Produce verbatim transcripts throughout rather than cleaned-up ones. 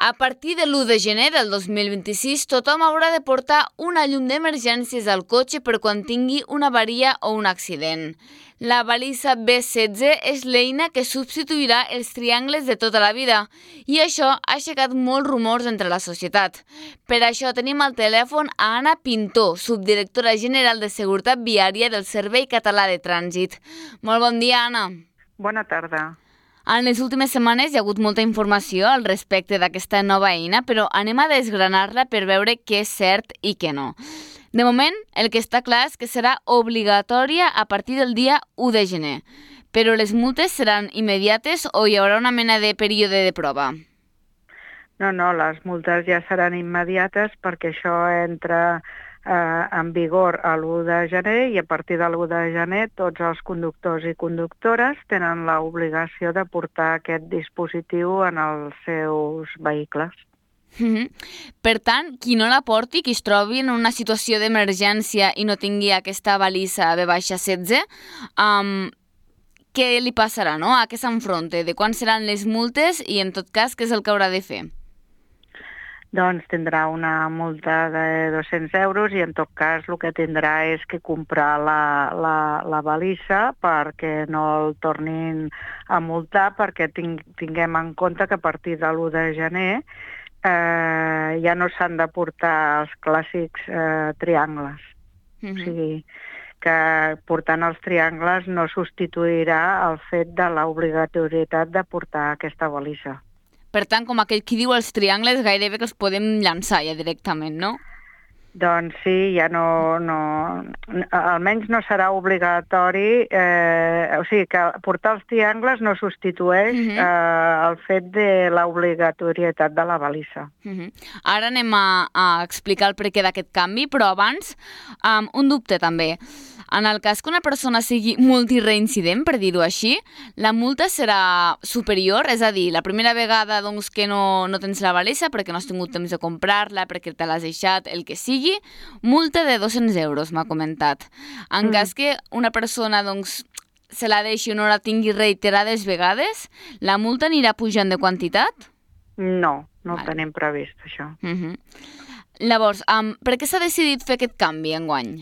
A partir de l'u de gener del dos mil vint-i-sis, tothom haurà de portar una llum d'emergències al cotxe per quan tingui una avaria o un accident. La balisa B setze és l'eina que substituirà els triangles de tota la vida i això ha aixecat molts rumors entre la societat. Per això tenim al telèfon a Anna Pintó, subdirectora general de Seguretat Viària del Servei Català de Trànsit. Molt bon dia, Anna. Bona tarda. En les últimes setmanes hi ha hagut molta informació al respecte d'aquesta nova eina, però anem a desgranar-la per veure què és cert i què no. De moment, el que està clar és que serà obligatòria a partir del dia u de gener, però les multes seran immediates o hi haurà una mena de període de prova? No, no, les multes ja seran immediates perquè això entra eh, en vigor a l'u de gener i a partir de l'u de gener tots els conductors i conductores tenen l'obligació de portar aquest dispositiu en els seus vehicles. Mm-hmm. Per tant, qui no la porti, qui es trobi en una situació d'emergència i no tingui aquesta balisa B setze, um, què li passarà, no? A què s'enfronta? De quan seran les multes i, en tot cas, què és el que haurà de fer? Doncs tindrà una multa de dos-cents euros i en tot cas el que tindrà és que comprar la, la, la balisa perquè no el tornin a multar, perquè ting, tinguem en compte que a partir de l'u de gener eh, ja no s'han de portar els clàssics eh, triangles. Mm-hmm. O sigui, que portant els triangles no substituirà el fet de l'obligatorietat de portar aquesta balisa. Per tant, com aquell qui diu els triangles, gairebé que els podem llançar ja directament, no? Doncs sí, ja no... no almenys no serà obligatori, eh, o sigui que portar els triangles no substitueix uh-huh. eh, el fet de l'obligatorietat de la balisa. Uh-huh. Ara anem a, a explicar el perquè d'aquest canvi, però abans um, un dubte també. En el cas que una persona sigui multireincident, per dir-ho així, la multa serà superior, és a dir, la primera vegada doncs, que no, no tens la balisa perquè no has tingut temps de comprar-la, perquè te l'has deixat, el que sigui, multa de dos-cents euros, m'ha comentat. En mm. cas que una persona doncs, se la deixi o no la tingui reiterades vegades, la multa anirà pujant de quantitat? No, no vale. Ho tenim previst, això. Uh-huh. Llavors, um, per què s'ha decidit fer aquest canvi enguany?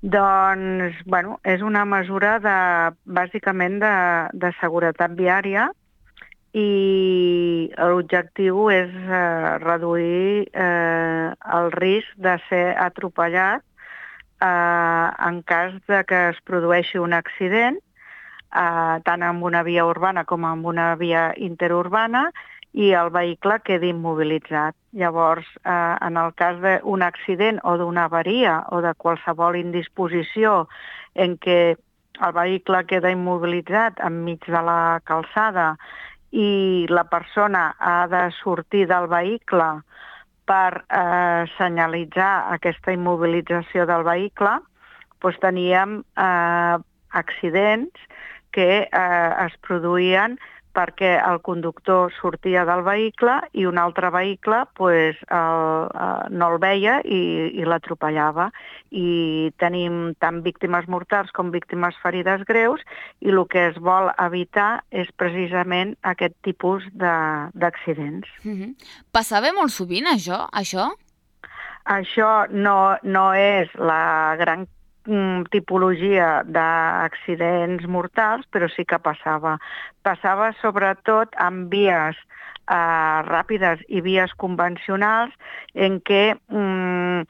Doncs, bueno, és una mesura de, bàsicament de, de seguretat viària i l'objectiu és eh, reduir eh, el risc de ser atropellat eh, en cas de que es produeixi un accident, eh, tant en una via urbana com en una via interurbana, i el vehicle quedi immobilitzat. Llavors, eh, en el cas d'un accident o d'una avaria o de qualsevol indisposició en què el vehicle queda immobilitzat enmig de la calçada i la persona ha de sortir del vehicle per eh, senyalitzar aquesta immobilització del vehicle, doncs teníem eh, accidents que eh, es produïen perquè el conductor sortia del vehicle i un altre vehicle pues, el, el, no el veia i, i l'atropellava. I tenim tant víctimes mortals com víctimes ferides greus i el que es vol evitar és precisament aquest tipus d'accidents. Mm-hmm. Passava molt sovint això? Això, això no, no és la gran tipologia d'accidents mortals, però sí que passava. Passava sobretot en vies eh, ràpides i vies convencionals en què mm,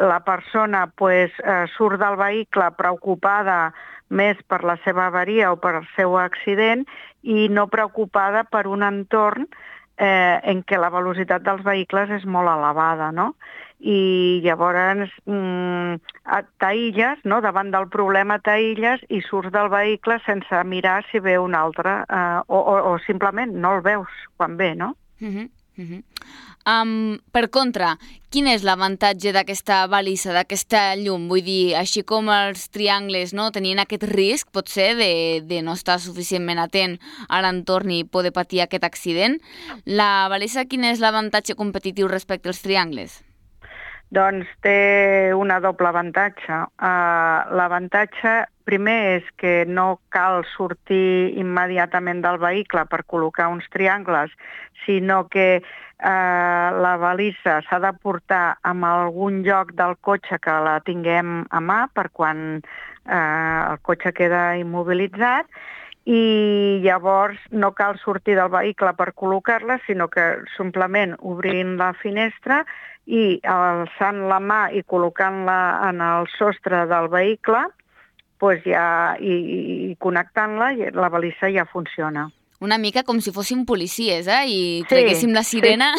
la persona pues, eh, surt del vehicle preocupada més per la seva avaria o per el seu accident i no preocupada per un entorn eh, en què la velocitat dels vehicles és molt elevada, no? I llavors mm, t'aïlles, no? Davant del problema t'aïlles i surts del vehicle sense mirar si ve un altre eh, o, o, o simplement no el veus quan ve, no? Uh-huh, uh-huh. Um, per contra, quin és l'avantatge d'aquesta balisa, d'aquesta llum? Vull dir, així com els triangles no, tenien aquest risc, potser, de, de no estar suficientment atent a l'entorn i poder patir aquest accident, la balisa quin és l'avantatge competitiu respecte als triangles? Doncs té una doble avantatge. Uh, l'avantatge primer és que no cal sortir immediatament del vehicle per col·locar uns triangles, sinó que eh, la balissa s'ha de portar en algun lloc del cotxe que la tinguem a mà per quan eh, el cotxe queda immobilitzat, i llavors no cal sortir del vehicle per col·locar-la, sinó que simplement obrint la finestra i alçant la mà i col·locant-la en el sostre del vehicle, doncs ja, i, i connectant-la, la balissa ja funciona. Una mica com si fóssim policies, eh? I treguéssim la sirena.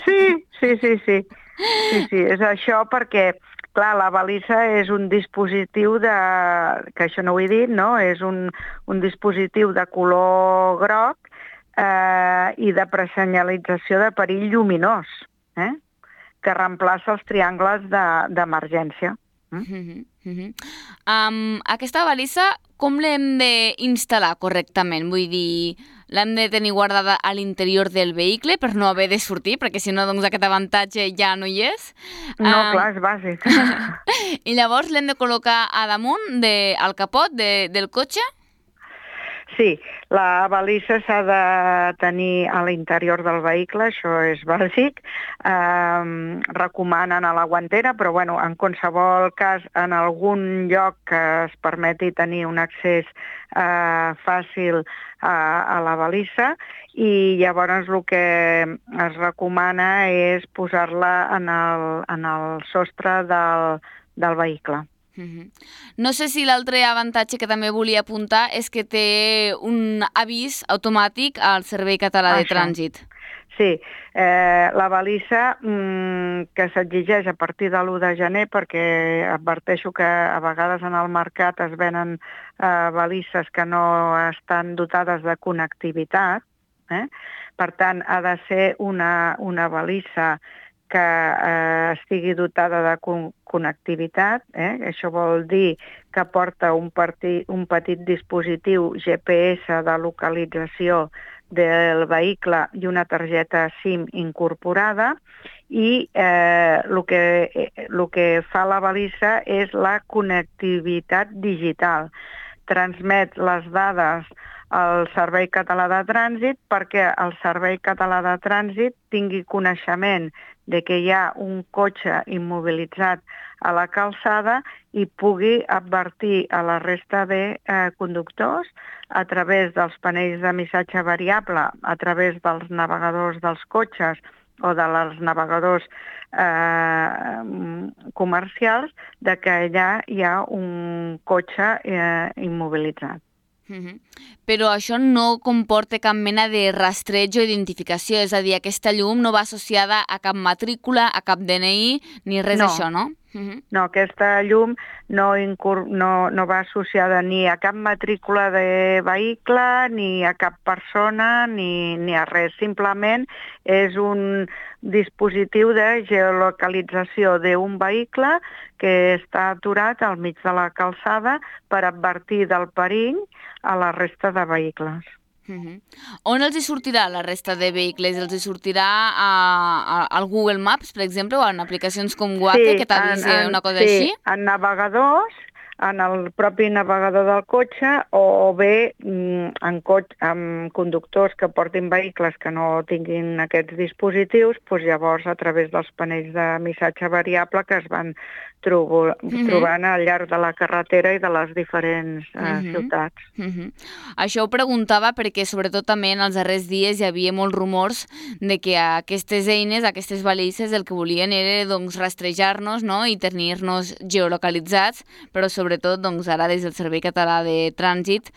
Sí, sí, sí, sí. Sí, sí, és això perquè, clar, la balissa és un dispositiu de... que això no ho he dit, no? És un, un dispositiu de color groc eh, i de presenyalització de perill lluminós, eh? Que reemplaça els triangles d'emergència. De, mm -hmm, mm -hmm. um, aquesta balissa, com l'hem d'instal·lar correctament? Vull dir, l'hem de tenir guardada a l'interior del vehicle per no haver de sortir, perquè si no, doncs aquest avantatge ja no hi és. No, um, clar, és bàsic. I llavors l'hem de col·locar a damunt, de, al capot de, del cotxe? Sí, la balissa s'ha de tenir a l'interior del vehicle, això és bàsic. Eh, recomanen a la guantera, però bueno, en qualsevol cas, en algun lloc que es permeti tenir un accés eh, fàcil a, a la balissa, i llavors el que es recomana és posar-la en el, en el sostre del, del vehicle. Mm-hmm. No sé si l'altre avantatge que també volia apuntar és que té un avís automàtic al Servei Català de Trànsit. Sí, eh, la balissa mmm, que s'exigeix a partir de l'u de gener, perquè adverteixo que a vegades en el mercat es venen eh, balisses que no estan dotades de connectivitat, eh? Per tant, ha de ser una, una balissa que eh, estigui dotada de con connectivitat, eh? Això vol dir que porta un, un petit dispositiu G P S de localització del vehicle i una targeta SIM incorporada, i eh, el que, el que fa la balissa és la connectivitat digital. Transmet les dades al Servei Català de Trànsit perquè el Servei Català de Trànsit tingui coneixement de que hi ha un cotxe immobilitzat a la calçada i pugui advertir a la resta de eh, conductors a través dels panells de missatge variable, a través dels navegadors dels cotxes o dels navegadors eh, comercials, de que allà hi ha un cotxe eh, immobilitzat. Mm-hmm. Però això no comporta cap mena de rastreig o identificació, és a dir, aquesta llum no va associada a cap matrícula, a cap D N I, ni res d'això, no? Mm-hmm. No, aquesta llum no, no, no va associada ni a cap matrícula de vehicle, ni a cap persona, ni, ni a res. Simplement és un dispositiu de geolocalització d'un vehicle que està aturat al mig de la calçada per advertir del perill a la resta de vehicles. Uh-huh. On els hi sortirà la resta de vehicles? Els hi sortirà a, a, al Google Maps, per exemple, o en aplicacions com Waze, sí, que t'avisi una cosa sí, així? Sí, en navegadors, en el propi navegador del cotxe, o bé en, cotxe, en conductors que portin vehicles que no tinguin aquests dispositius, doncs llavors a través dels panells de missatge variable que es van trobo, mm-hmm. trobant al llarg de la carretera i de les diferents eh, mm-hmm. ciutats. Mm-hmm. Això ho preguntava perquè sobretot també en els darrers dies hi havia molts rumors de que aquestes eines, aquestes balisses, el que volien era doncs, rastrejar-nos, no? I tenir-nos geolocalitzats, però sobretot doncs, ara des del Servei Català de Trànsit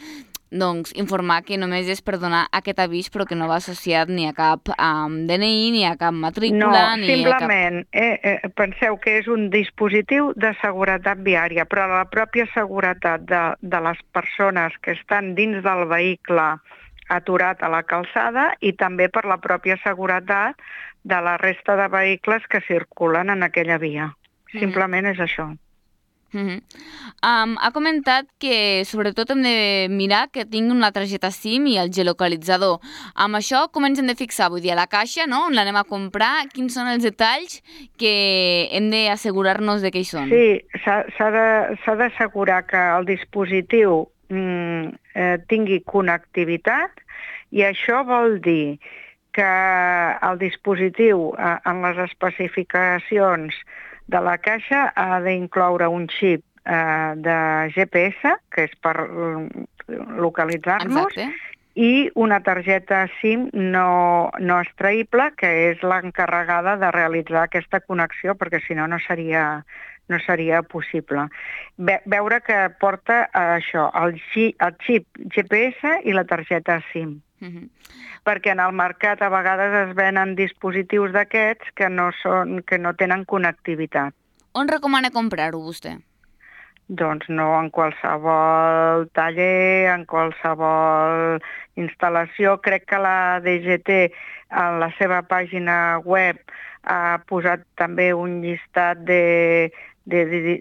doncs, informar que només és per donar aquest avís però que no va associat ni a cap um, D N I, ni a cap matrícula, no, ni simplement, a cap... eh, eh, penseu que és un dispositiu de seguretat viària, però la pròpia seguretat de, de les persones que estan dins del vehicle aturat a la calçada i també per la pròpia seguretat de la resta de vehicles que circulen en aquella via. Simplement mm. és això. Uh-huh. um, ha comentat que sobretot hem de mirar que tingui una targeta SIM i el geolocalitzador. Amb això com ens hem de fixar? Vull dir, a la caixa, no? On l'anem a comprar? Quins són els detalls que hem d'assegurar-nos de què hi són? Sí, s'ha d'assegurar que el dispositiu mm, eh, tingui connectivitat, i això vol dir que el dispositiu, eh, en les especificacions de la caixa, ha d'incloure un xip eh, de G P S, que és per localitzar-nos, Exacte. i una targeta SIM no, no extraïble, que és l'encarregada de realitzar aquesta connexió, perquè si no, no seria, no seria possible. Ve, veure que porta eh, això, el, xi, el xip G P S i la targeta SIM. Uh-huh. Perquè en el mercat a vegades es venen dispositius d'aquests que no són, que no tenen connectivitat. On recomana comprar-ho vostè? Doncs no en qualsevol taller, en qualsevol instal·lació. Crec que la D G T en la seva pàgina web ha posat també un llistat de, de, de,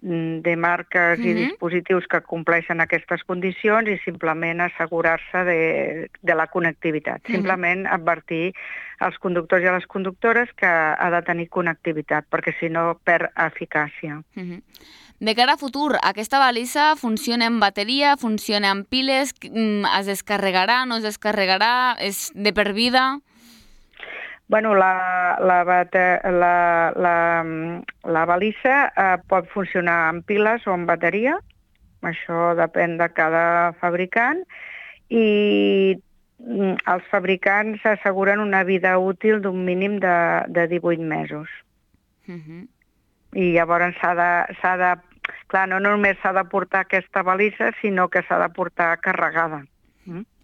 de marques uh-huh. i dispositius que compleixen aquestes condicions i simplement assegurar-se de, de la connectivitat. Uh-huh. Simplement advertir als conductors i a les conductores que ha de tenir connectivitat, perquè si no perd eficàcia. Uh-huh. De cara a futur, aquesta balisa funciona amb bateria, funciona amb piles, es descarregarà, no es descarregarà, és de per vida? Bueno, la, la, la, la, la balisa eh, pot funcionar amb piles o amb bateria, això depèn de cada fabricant, i els fabricants asseguren una vida útil d'un mínim de, de divuit mesos. Uh-huh. I llavors s'ha de, s'ha de... Clar, no només s'ha de portar aquesta balisa, sinó que s'ha de portar carregada.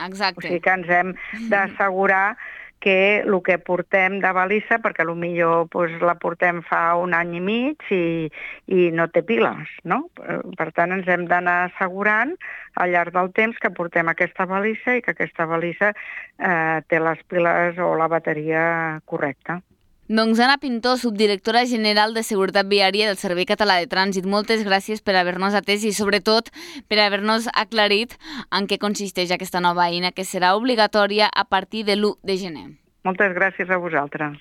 Exacte. O sigui que ens hem d'assegurar que el que portem de balisa, perquè potser doncs, la portem fa un any i mig i, i no té piles, no? Per tant, ens hem d'anar assegurant al llarg del temps que portem aquesta balisa i que aquesta balisa eh, té les piles o la bateria correcta. Doncs Anna Pintó, subdirectora general de Seguretat Viària del Servei Català de Trànsit, moltes gràcies per haver-nos atès i sobretot per haver-nos aclarit en què consisteix aquesta nova eina que serà obligatòria a partir de l'u de gener. Moltes gràcies a vosaltres.